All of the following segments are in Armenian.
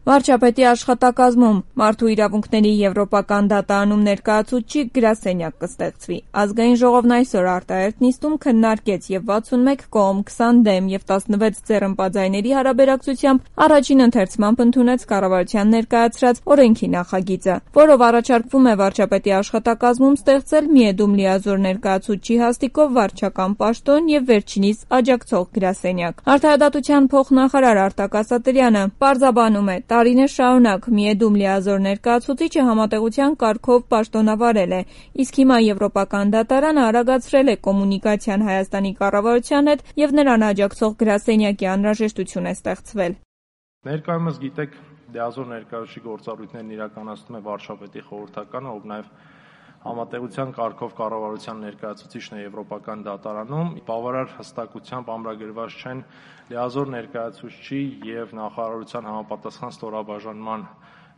Վարչապետի աշխատակազմում Մարդու իրավունքների եվրոպական դատարանում ներկայացուցիչ գրասենյակ կստեղծվի։ Ազգային ժողովն այսօր արտահերթ նիստում քննարկեց եւ 61 կողմ, 20 դեմ եւ 16 ձեռնպատայների հարաբերակցությամբ առաջին ընթերցմամբ ընդունեց կառավարության ներկայացրած օրենքի նախագիծը, որով առաջարկվում է վարչապետի աշխատակազմում ստեղծել միեդում լիազոր ներկայացուցչի հաստիքով վարչական պաշտոն եւ վերջինիս աջակցող գրասենյակ։ Արդարադատության փոխնախարար Արտակ Ասատրյանը պարզաբանում է, տարիներ շարունակ միեդում լիազոր ներկայացուցիչը համատեղության կարգով պաշտոնավարել է, իսկ հիմա Եվրոպական դատարանը արագացրել է կոմունիկացիան Հայաստանի կառավարության հետ եւ նրան աջակցող գրասենյակի անհրաժեշտություն է ստեղծվել։ Ներկայումս գիտեք, լիազոր ներկայացուցչի գործառույթներն իրականացնում է վարչապետի խորհրդականը, ով նաեւ համատեղության կարգով կառավարության ներկայացուցիչն է Եվրոպական դատարանում, բավարար հստակությամբ ամրագրված չեն լիազոր ներկայացուցչի եւ նախարարության համապատասխան ստորաբաժանման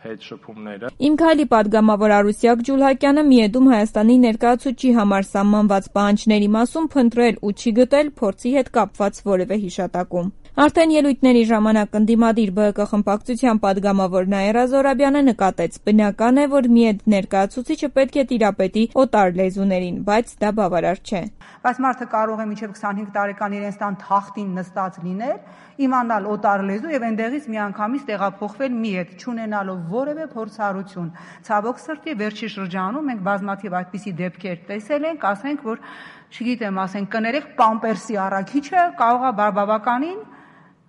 հետ շփումները։ Իմ քայլի падգամավոր Արուսյակ Ջուլհակյանը միեդում Հայաստանի ներկայացուցչի համար սահմանված պահանջների մասում փնտրել ու չի գտել փորձի հետ կապված որևէ հիշատակում։ Արդեն ելույթների ժամանակ ընդդիմադիր ԲՀԿ խմբակցության падգամավոր Նաիրա Զոհրաբյանը նկատեց, բնական է, որ միեդ ներկայացուցիչը պետք է տիրապետի օտար լեզուներին, բայց դա բավարար չէ։ Բայց մարդը կարող է մինչև 25 տարեկան իրենց տան թախտին նստած լինել, իմանալ օտար լեզու եւ այնտեղից միանգամից տեղափոխվել միեդ, չունենալով որևէ փորձառություն։ Ցավոք սրտի վերջի շրջանում մենք բազմաթիվ այդպիսի դեպքեր տեսել ենք, ասենք, որ չգիտեմ, ասենք կներեք պամպերսի առաքիչը կարող է բավականին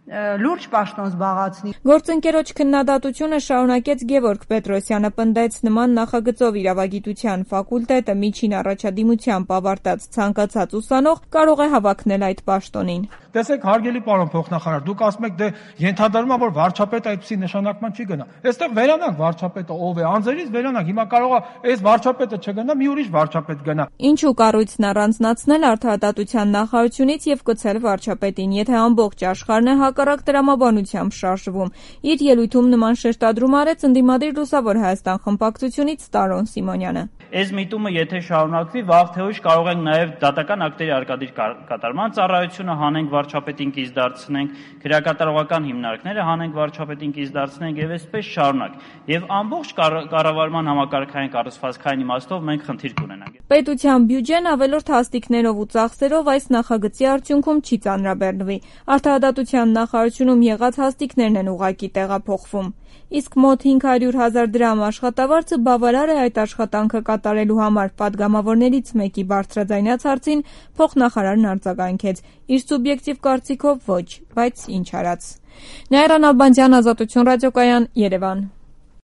լուրջ պաշտոն զբաղացնի։ Գործընկերոջ քննադատությունը շարունակեց Գևորգ Պետրոսյանը, պնդեց նման նախագծով իրավագիտության ֆակուլտետը միջին առաջադիմությամբ ավարտած ցանկացած ուսանող կարող է հավակնել այդ պաշտոնին։ Տեսեք, հարգելի պարոն փոխնախարար, դուք ասում եք, դե ենթադրում եմ, որ վարչապետը այդպիսի նշանակման չի գնա։ Այստեղ վերանանք վարչապետը ով է, անձերից վերանանք։ Հիմա կարող է այս վարչապետը չգնա, մի ուրիշ վարչապետ գնա։ Ինչու կառույցն առանձնացնել արդարադատության նախարարությունից եւ կցել վարչապետին, եթե ամբողջ աշխարհն է հակառակ տրամաբանությամբ շարժվում։ Իր ելույթում նման շեշտադրում արեց ընդդիմադիր Լուսավոր Հայաստան խմբակցությունից Տարոն Սիմոնյանը։ Այս միտումը եթե շարունակվի, վաղ թե ուշ կարող ենք նաև դատական ակտերի արկադիր կատարման ծառայությունը հանենք վարչապետին կից դարձնենք, քրեակատարողական հիմնարկները հանենք վարչապետին կից դարձնենք եւ այսպես շարունակ։ Եվ ամբողջ կառավարման համակարգային կառուցվածքային իմաստով մենք խնդիր կունենանք։ Պետության բյուջեն ավելորդ հաստիկներով ու ծախսերով այս նախագծի արդյունքում չի ծանրաբեռնվի։ Արդարադատության նախարարությունում եղած հաստիկներն են ուղղակի տեղափոխվում։ Իսկ մոտ 500,000 դրամ աշխատավարձը բավարար է այդ աշխատանքը կատարելու համար, падգամավորներից մեկի բարձրաձայնած հարցին փոխնախարարն արձագանքեց։ Իր սուբյեկտիվ կարծիքով ոչ, բայց ինչ արած։ Նաիրա Նալբանդյան, Ազատություն ռադիոկայան, Երևան։